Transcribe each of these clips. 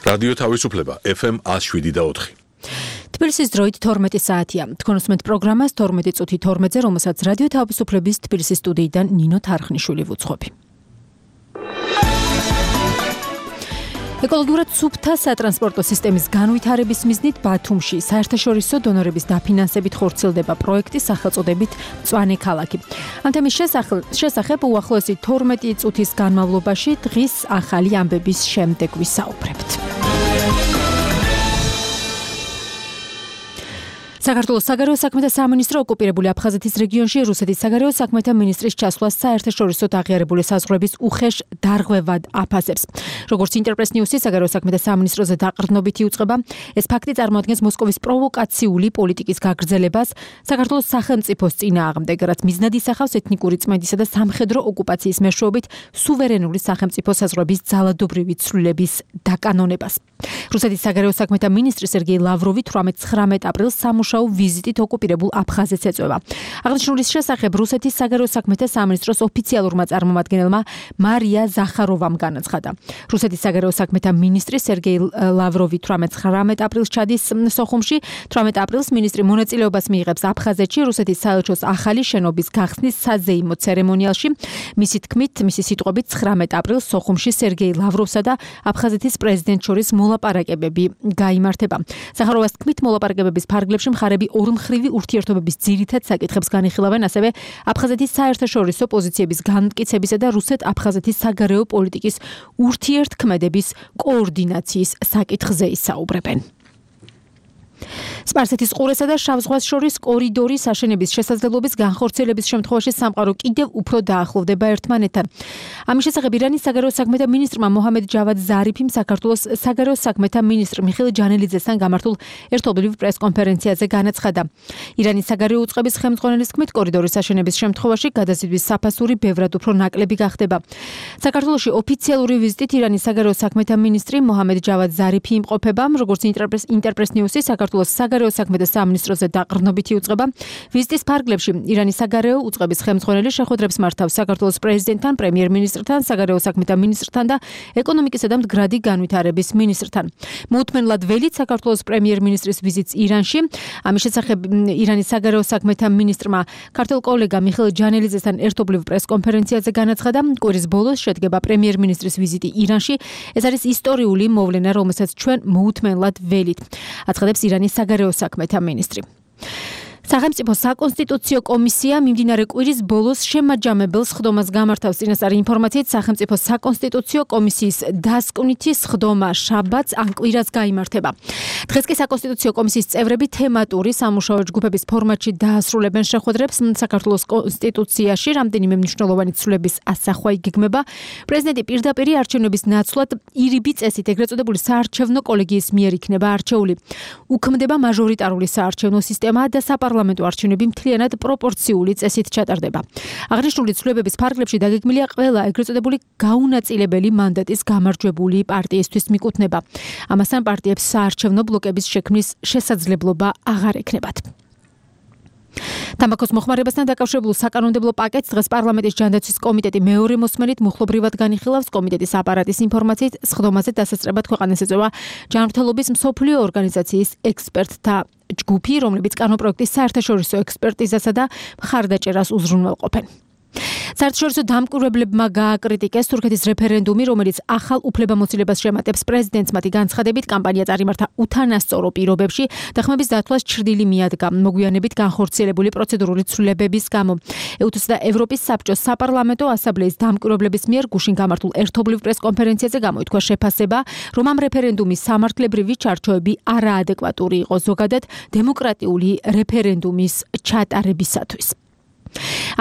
რადიო თავისუფლება FM 107.4. თბილისის დროით 12 საათია. თქვენ უსმენთ პროგრამას 12 წუთი 12-ზე, რომელსაც რადიო თავისუფლების თბილისის სტუდიიდან ნინო თარხნიშვილი ვუძღვები. ეკოლოგიურად სუფთა სატრანსპორტო სისტემის განვითარების მიზნით ბათუმში საერთაშორისო დონორების დაფინანსებით ხორციელდება პროექტი სახელწოდებით მწვანე ქალაქი. ამ თემის შესახებ უახლოესი 12 წუთის განმავლობაში დღის ახალი ამბების შემდეგ ვისაუბრებთ. საქართველოს საგარეო საქმეთა სამინისტრო ოკუპირებული აფხაზეთის რეგიონში რუსეთის საგარეო საქმეთა მინისტრის ჩასვლას საერთაშორისო აღიარებული საზღვრების უხეშ დარღვევად აფასებს. როგორც ინტერპრეს ნიუსის საგარეო საქმეთა სამინისტროზე დაყრდნობით იუწყება, ეს ფაქტი წარმოადგენს მოსკოვის პროვოკაციული პოლიტიკის გაგრძელებას საქართველოს სახელმწიფოს წინააღმდეგ, რაც მიზნად ისახავს ეთნიკური წმენდისა და სამხედრო ოკუპაციის მეშვეობით სუვერენული სახელმწიფო საზღვრების ძალადობრივი ცვლილების დაკანონებას. რუსეთის საგარეო საქმეთა მინისტრი სერგეი ლავროვი 18-19 აპრილს სამუშაო ვიზიტით ოკუპირებულ აფხაზეთს ეწვევა. აღნიშნულის შესახებ რუსეთის საგარეო საქმეთა სამინისტროს ოფიციალურმა წარმომადგენელმა მარია ზახაროვამ განაცხადა. რუსეთის საგარეო საქმეთა მინისტრი სერგეი ლავროვი 18-19 აპრილს ჩადის სოხუმში. 18 აპრილს მინისტრი მონაწილეობას მიიღებს აფხაზეთში რუსეთის საელჩოს ახალი შენობის გახსნის საზეიმო ცერემონიალში. მისი თქმით, მისი სიტყვებით 19 აპრილს სოხუმში სერგეი ლავროვსა და აფხაზეთის პრეზიდენტს შორის მოლაპარაკებები გაიმართება. ზახაროვას თქმით, მოლაპარაკებების ფარგლებში მხარები ორმხრივი ურთიერთობების ძირითად საკითხებს განიხილავენ, ასევე აფხაზეთის საერთაშორისო პოზიციების განმტკიცებისა და რუსეთ-აფხაზეთის საგარეო პოლიტიკის ურთიერთქმედების კოორდინაციის საკითხზე ისაუბრებენ. სპარსეთის ყურესა და შავ ზღვას შორის კორიდორის აშენების შესაძლებლობის განხორციელების შემთხვევაში სამყარო კიდევ უფრო დაახლოვდება ერთმანეთთან. ამის შესახებ ირანის საგარეო საქმეთა მინისტრმა მოჰამედ ჯავად ზარიფიმ საქართველოს საგარეო საქმეთა მინისტრ მიხეილ ჯანელიძესთან გამართულ ერთობლივ პრეს-კონფერენციაზე განაცხადა. ირანის საგარეო უწყების ხელმძღვანელის თქმით, კორიდორის აშენების შემთხვევაში გადაზიდვის საფასური ბევრად უფრო ნაკლები გახდება. საქართველოში ოფიციალური ვიზიტით ირანის საგარეო საქმეთა მინისტრი მოჰამედ ჯავად ზარიფი იმყოფება, როგორც ინტერპრეს ნიუსის საქართველოს საგარეო საქმეთა სამინისტროზე დაყრდნობით იუწყება. ვიზიტის ფარგლებში ირანის საგარეო უწყების ხელმძღვანელი შეხვედრებს მართავს საქართველოს პრეზიდენტთან, პრემიერ-მინისტრთან, საგარეო საქმეთა მინისტრთან და ეკონომიკისა და მდგრადი განვითარების მინისტრთან. მოუთმენლად ველით საქართველოს პრემიერ-მინისტრის ვიზიტს ირანში. ამის შესახებ ირანის საგარეო საქმეთა მინისტრმა ქართველ კოლეგა მიხეილ ჯანელიძესთან ერთობლივ პრეს-კონფერენციაზე განაცხადა, კვირის ბოლოს შედგება პრემიერ-მინისტრის ვიზიტი ირანში. ეს არის ისტორიული მოვლენა, რომელსაც ჩვენ მოუთმენლად ველით. აცხადებს ირანის საგარეო საქმეთა მინისტრი. სახელმწიფო საკონსტიტუციო კომისია მიმდინარე კვირის ბოლოს შემაჯამებელ სხდომას გამართავს. წინასწარი ინფორმაციით, სახელმწიფო საკონსტიტუციო კომისიის დასკვნითი სხდომა შაბათს ან კვირას გაიმართება. დღეს კი საკონსტიტუციო კომისიის წევრები თემატური სამუშაო ჯგუფების ფორმატში დაასრულებენ შეხვედრებს. საქართველოს კონსტიტუციაში რამდენიმე მნიშვნელოვანი ცვლილების ასახვა იგეგმება. პრეზიდენტი პირდაპირ არჩევნების ნაცვლად ირიბი წესით ეგრეთ წოდებული საარჩევნო კოლეგიის მიერ იქნება არჩეული. უქმდება მაჟორიტარული საარჩევნო სისტემა და საპარლამენტო არჩევნები მთლიანად პროპორციული წესით ჩატარდება. აღნიშნული ცვლილებების ფარგლებში დაგეგმილია ყველა ეგრეთ წოდებული გაუნაწილებელი მანდატის გამარჯვებული პარტიისთვის მიკუთვნება. ამასთან პარტიებს საარჩევნო ბლოკების შექმნის შესაძლებლობა აღარ ექნებათ. თამბაქოს მოხმარებასთან დაკავშირებულ საკანონმდებლო პაკეტს დღეს პარლამენტის ჯანდაცვის კომიტეტი მეორე მოსმენით მუხლობრივად განიხილავს. კომიტეტის აპარატის ინფორმაციით, სხდომაზე დასასწრებად ქვეყანას ეწევა ჯანმრთელობის მსოფლიო ორგანიზაციის ექსპერტთა ჯგუფი, რომლებიც კანონპროექტის საერთაშორისო ექსპერტიზასა და მხარდაჭერას უზრუნველყოფენ. საერთაშორისო დამკვირვებლებმა გააკრიტიკეს თურქეთის რეფერენდუმი, რომელიც ახალ უფლებამოსილებას შემატებს პრეზიდენტს. მათი განცხადებით, კამპანია წარიმართა უთანასწორო პირობებში და ხმების დათვლას ჩრდილი მიადგა მოგვიანებით განხორციელებული პროცედურული ცვლილებების გამო. ეუთოს და ევროპის საბჭოს საპარლამენტო ასამბლეის დამკვირვებლების მიერ გუშინ გამართულ ერთობლივ პრეს-კონფერენციაზე გამოითქვა შეფასება, რომ ამ რეფერენდუმის სამართლებრივი ჩარჩოები არაადეკვატური იყო ზოგადად დემოკრატიული რეფერენდუმის ჩატარებისათვის.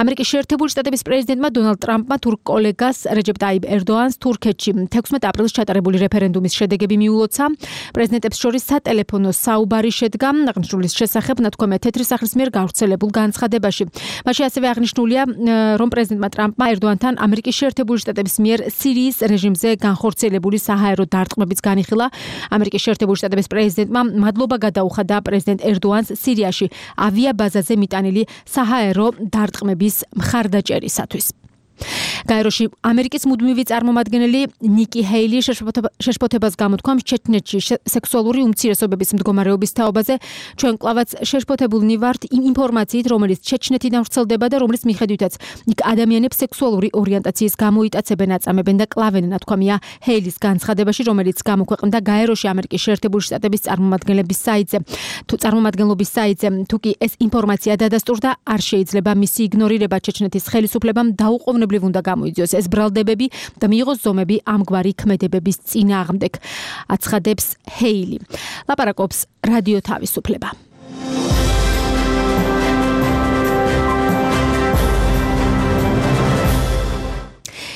ამერიკის შეერთებული შტატების პრეზიდენტმა დონალდ ტრამპმა თურქ კოლეგას რეჯეპ ტაიპ ერდოანს თურქეთში 16 აპრილს ჩატარებული რეფერენდუმის შედეგები მიულოცა. პრეზიდენტებს შორის სატელეფონო საუბარი შედგა აღნიშნულის შესახებ ნათქვამია თეთრი სახლის მიერ გავრცელებულ განცხადებაში. მაშინ ასევე აღნიშნულია, რომ პრეზიდენტმა ტრამპმა ერდოანთან ამერიკის შეერთებული შტატების მიერ სირიის რეჟიმზე განხორციელებული საჰაერო დარტყმებიც განიხილა. ამერიკის შეერთებული შტატების პრეზიდენტმა მადლობა გადაუხადა პრეზიდენტ ერდოანს სირიაში ავიაბაზაზე მიტანილი საჰაერო დარტყმების მხარდაჭერისათვის. გაეროში ამერიკის მუდმივი წარმომადგენელი ნიკი ჰეილი შეშფოთებას გამოთქვამს ჩეჩნეთში სექსუალური უმცირესობების მდგომარეობის თაობაზე. ჩვენ კვლავაც შეშფოთებულნი ვართ იმ ინფორმაციით, რომელიც ჩეჩნეთიდან ვრცელდება და რომლის მიხედვითაც იქ ადამიანებს სექსუალური ორიენტაციის გამოიტაცებენ, აწამებენ და კლავენ, ნათქვამია ჰეილის განცხადებაში, რომელიც გამოქვეყნდა გაეროში ამერიკის შეერთებული შტატების წარმომადგენლობის საიტზე. თუკი ეს ინფორმაცია დადასტურდა, არ შეიძლება მისი იგნორირება. ჩეჩნეთის ხელისუფლებამ დაუყოვნებლივ უნდა გამოიძიოს ეს ბრალდებები და მიიღოს ზომები ამგვარი ქმედებების წინააღმდეგ, აცხადებს ჰეილი. ლაპარაკობს რადიო თავისუფლება.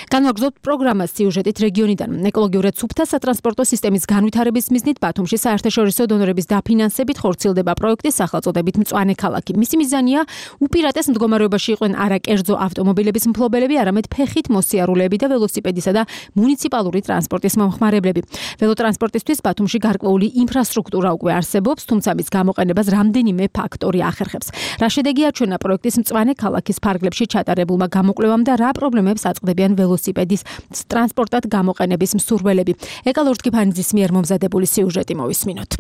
განვაგრძობთ პროგრამას სიუჟეტით რეგიონიდან. ეკოლოგიურად სუფთა სატრანსპორტო სისტემის განვითარების მიზნით ბათუმში საერთაშორისო დონორების დაფინანსებით ხორციელდება პროექტი სახელწოდებით მწვანე ქალაქი. მისი მიზანია უპირატეს მდგომარეობაში იყვნენ არა კერძო ავტომობილების მფლობელები, არამედ ფეხით მოსიარულეები და ველოსიპედისა და მუნიციპალური ტრანსპორტის მომხმარებლები. ველოტრანსპორტისთვის ბათუმში გარკვეული ინფრასტრუქტურა უკვე არსებობს, თუმცა მის გამოყენებას რამდენიმე ფაქტორი ახერხებს. რა შედეგი აჩვენა პროექტის მწვანე ქალაქის ფარგლებში ჩატარებულმა გამოკვლევამ და რა პრობლემებს აწყდებიან ველოსიპედის ტრანსპორტად გამოყენების მსურველები. ეკალორტკი ფანიძის მიერ მომზადებული სიუჟეტი მოვისმინოთ.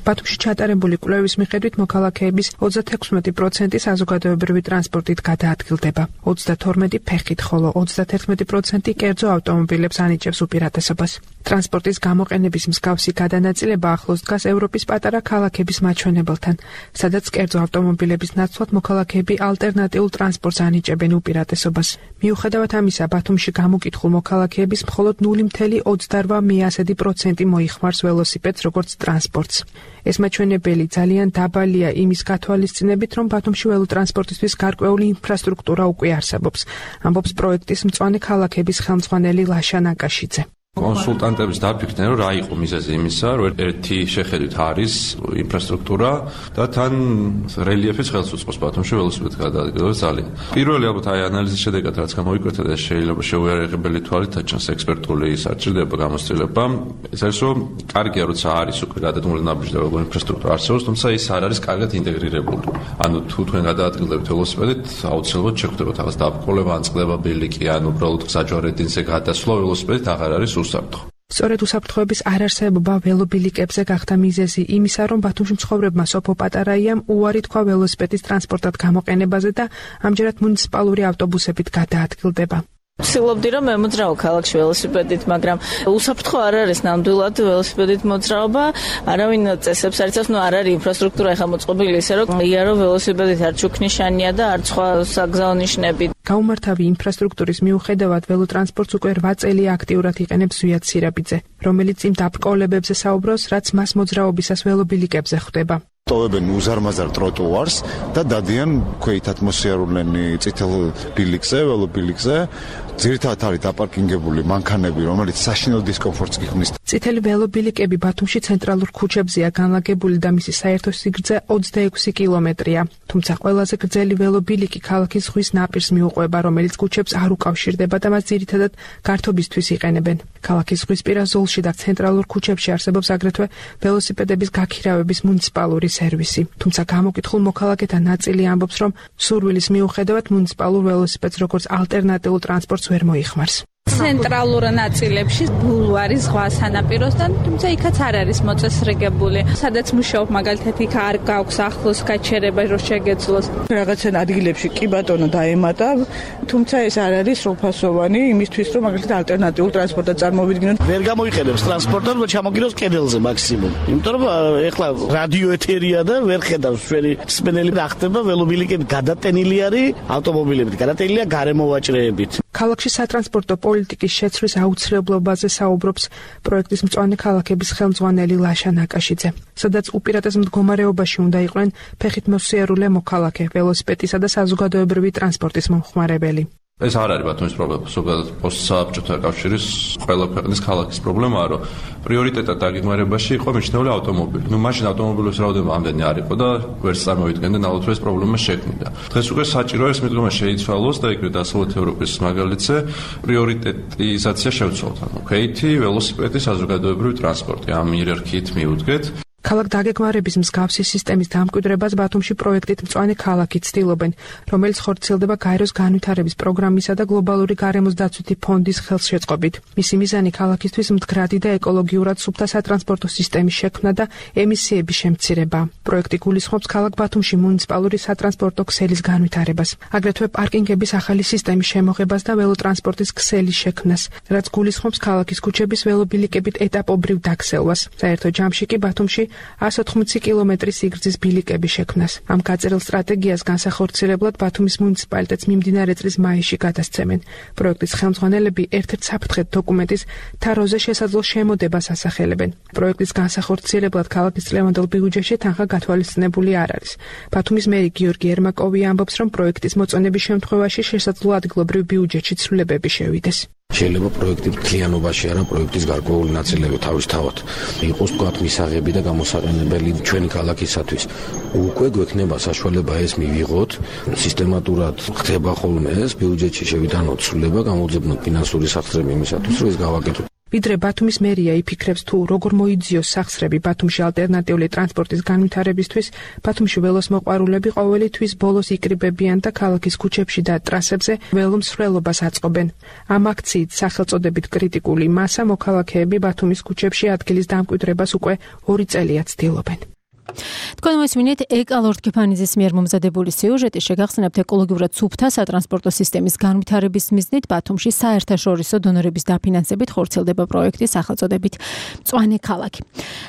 ბათუმში ჩატარებული კვლევის მიხედვით მოქალაქეების 36% საზოგადოებრივი ტრანსპორტით გადაადგილდება, 32% ფეხით, ხოლო 31% კერძო ავტომობილებს ანიჭებს უპირატესობას. ტრანსპორტის გამოყენების მსგავსი გადანაწილება ახლოს დგას ევროპის პატარა ქალაქების მაჩვენებელთან, სადაც კერძო ავტომობილების ნაცვლად მოქალაქეები ალტერნატიულ ტრანსპორტს ანიჭებენ უპირატესობას. მიუხედავად ამისა, ბათუმში გამოკითხულ მოქალაქეების მხოლოდ 0.28% მოიხმარს ველოსიპედს როგორც ტრანსპორტს. ეს მაჩვენებელი ძალიან დაბალია იმის გათვალისწინებით, რომ ბათუმში ველოტრანსპორტისთვის გარკვეული ინფრასტრუქტურა უკვე არსებობს, ამბობს პროექტის მწვანე ქალაქების ხელმძღვანელი ლაშა ნაკაშიძე. კონსულტანტების დაფიქრდნენ, რომ რა იყო მიზეზი იმისა, რომ ერთი შეხედვით არის ინფრასტრუქტურა და თან რელიეფიც ხელს უწყობს ბათუმში ველოსიპედის გადაადგილებას ძალიან. პირველი ალბათ აი ანალიზის შედეგად რაც გამოიკვეთა და შეიძლება შეუიარაღებელი თვალით აჩვენოს ექსპერტული საჭიროება გამოცდილება, ეს არის რომ კარგია როცა არის უკვე გადადგმული ნაბიჯი და როგორი ინფრასტრუქტურა არსებობს, თუმცა ის არ არის კარგად ინტეგრირებული. ანუ თუ თქვენ გადაადგილდებთ ველოსიპედით, აუცილებლად შეხვდებათ რაღაც დაბრკოლება, ან წყდება ბილიკი, ან უბრალოდ საჯვარედინზე გადასვლა ველოსიპედით აღარ არის სწორედ უსაფრთხოების არარსებობა ველობილიკებზე გახდა მიზეზი იმისა, რომ ბათუმში მცხოვრებმა სოფო პატარაიამ უარი თქვა ველოსიპედის ტრანსპორტად გამოყენებაზე და ამჯერად მუნიციპალური ავტობუსებით გადაადგილდება. ვცდილობდი რომ მემოძრაო ქალაქში ველოსიპედით, მაგრამ უსაფრთხო არ არის ნამდვილად ველოსიპედით მოძრაობა, არავინ წესებს არ იცავს, არ არის ინფრასტრუქტურა ახლა მოწყობილი ისე რომ იარო ველოსიპედით არ ჩუქნიშანია და არ სხვა საგზაო ნიშნები. გაუმართავი ინფრასტრუქტურის მიუხედავად ველოტრანსპორტს უკვე 8 წელი აქტიურად იყენებს ზვიად სირაბიძე, რომელიც იმ დაბკოლებებზე საუბრობს, რაც მას მოძრაობისას ველობილიკებზე ხვდება. ტოვებენ უზარმაზარ ტროტუარს და დადიან ქვეითად მოსიარულენი წითელ ბილიკზე, ველობილიკზე. ძირითადად არის დაპარკინგებული მანქანები, რომელიც საშინელ დისკომფორტს გიხსნის. წითელი ველობილიკები ბათუმში ცენტრალურ ქუჩებზეა განლაგებული და მისი საერთო სიგრძე 26 კილომეტრია. თუმცა ყველაზე გრძელი ველობილიკი ქალაქის ზღვის ნაპირს მიუყვება, რომელიც ქუჩებს არ უკავშირდება და მას ძირითადად გართობისთვის იყენებენ. ქალაქის ზღვისპირა ზოლში და ცენტრალურ ქუჩებში არსებობს აგრეთვე ველოსიპედების გაქირავების მუნიციპალური სერვისი. თუმცა გამოკითხულ მოქალაქეთა ნაწილი ამბობს, რომ სურვილის მიუხედავად მუნიციპალურ ველოსიპედს როგორც ალტერნატიულ ტრანსპორტს ვერ მოიხმარს. ცენტრალურ ნაწილებში ბულვარი ზღვა სანაპიროსთან, თუმცა იქაც არ არის მოწესრიგებული. სადაც მუშაობ მაგალითად იქ არ გაქვს ახლოს გაჩერება რომ შეგეძლოს. რაღაცა ადგილებში კი ბატონო დაემატა, თუმცა ეს არ არის სრულფასოვანი იმისთვის რომ მაგალითად ალტერნატიულ ტრანსპორტად წარმოვიდგინოთ. ვერ გამოიყენებს ტრანსპორტად, რომ ჩამოგიროს კედელზე მაქსიმუმ. იმიტომ რომ ეხლა რადიო ეთერია და ვერ ხედავს ჩვენი მსმენელი რა ხდება ველობილიკები გადატენილი არის ავტომობილებით, გადატენილია გარემოვაჭრეებით. ქალაქში სატრანსპორტო პოლიტიკის შეცვლის აუცილებლობაზე საუბრობს პროექტის მწვანე ქალაქების ხელმძღვანელი ლაშა ნაკაშიძე, სადაც უპირატეს მდგომარეობაში უნდა იყვნენ ფეხით მოსიარულე მოქალაქე, ველოსიპედისა და საზოგადოებრივი ტრანსპორტის მომხმარებელი. ეს არ არის ბათუმის პრობლემა, ზოგადად პოსტსაბჭოთა კავშირის ყველა ქვეყნის ქალაქის პრობლემაა, რომ პრიორიტეტად დაგეგმარებაში იყო მიჩნეული ავტომობილი. მაშინ ავტომობილების რაოდენობა ამდენი არ იყო და ვერც წარმოვიდგენდნენ, ალბათ ეს პრობლემა შექმნიდა. დღეს უკვე საჭიროა ეს მიდგომა შეიცვალოს და ეგრეთ დასავლეთ ევროპის მაგალითზე პრიორიტეტიზაცია შევცვალოთ. ანუ ქვეითი, ველოსიპედი, საზოგადოებრივი ტრანსპორტი ამ იერარქიით მიუდგეთ. ქალაქ დაგეგმარების მსგავსი სისტემის დამკვიდრებას ბათუმში პროექტით მწვანე ქალაქი ცდილობენ, რომელიც ხორციელდება გაეროს განვითარების პროგრამისა და გლობალური გარემოს დაცვითი ფონდის ხელშეწყობით. მისი მიზანი ქალაქისთვის მდგრადი და ეკოლოგიურად სუფთა სატრანსპორტო სისტემის შექმნა და ემისიების შემცირება. პროექტი გულისხმობს ქალაქ ბათუმში მუნიციპალური სატრანსპორტო ქსელის განვითარებას, აგრეთვე პარკინგების ახალი სისტემის შემოღებას და ველოტრანსპორტის ქსელის შექმნას, რაც გულისხმობს ქალაქის ქუჩების ველობილიკებით ეტაპობრივ დაქცევას. საერთო ჯამში კი ბათუმში 180 კილომეტრის სიგრძის ბილიკების შექმნას. ამ გაწერილ სტრატეგიას განსახორციელებლად ბათუმის მუნიციპალიტეტს მიმდინარე წლის მაისში გადასცემენ. პროექტის ხელმძღვანელები ერთ-ერთ საფრთხეთ დოკუმენტის თაროზე შესაძლო შემოდებას ასახელებენ. პროექტის განსახორციელებლად ქალაქის წლევანდელ ბიუჯეტში თანხა გათვალისწინებული არ არის. ბათუმის მერი გიორგი ერმაკოვი ამბობს, რომ პროექტის მოწონების შემთხვევაში შესაძლოა ადგილობრივ ბიუჯეტში ცვლილებები შევიდეს. შეიძლება პროექტის მთლიანობაში არა პროექტის გარკვეული ნაწილები თავისთავად იყოს თქვათ მისაღები და გამოსაყენებელი ჩვენი ქალაქისათვის. უკვე გვექნება საშუალება ეს მივიღოთ, სისტემატურად ხდება ხოლმე ეს ბიუჯეტში შევიტანოთ ცვლილება, გამოძებნოთ ფინანსური სახსრები იმისათვის, რომ ეს გავაკეთოთ. ვიდრე ბათუმის მერია იფიქრებს თუ როგორ მოიძიოს სახსრები ბათუმში ალტერნატიული ტრანსპორტის განვითარებისთვის, ბათუმში ველოსმოყვარულები ყოველი თვის ბოლოს იკრიბებიან და ქალაქის ქუჩებში და ტრასებზე ველომსვლელობას აწყობენ. ამ აქციით სახელწოდებით კრიტიკული მასა მოქალაქეები ბათუმის ქუჩებში ადგილის დამკვიდრებას უკვე 2 წელია ცდილობენ. თქვენ მოსმინეთ ეკალორდ კეფანიძის მიერ მომზადებული სიუჟეტი შეგახსენებთ ეკოლოგიურად სუფთა სატრანსპორტო სისტემის განვითარების მიზნით ბათუმში საერთაშორისო დონორების დაფინანსებით ხორციელდება პროექტი სახელწოდებით მწვანე ქალაქი.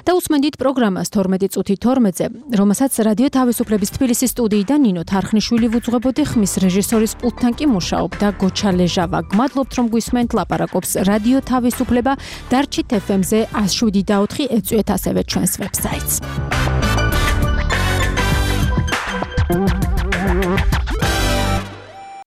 და უსმენდით პროგრამას 12 წუთი 12-ზე, რომელსაც რადიო თავისუფლების თბილისის სტუდიიდან ნინო თარხნიშვილი ვუძღვებოდი, ხმის რეჟისორის პულტთან კი მუშაობდა გოჩა ლეჟავა. გმადლობთ რომ გვისმენთ, ლაპარაკობს რადიო თავისუფლება, დარჩით FM-ზე 107.4 ეწვიეთ ასევე ჩვენს ვებსაიტს.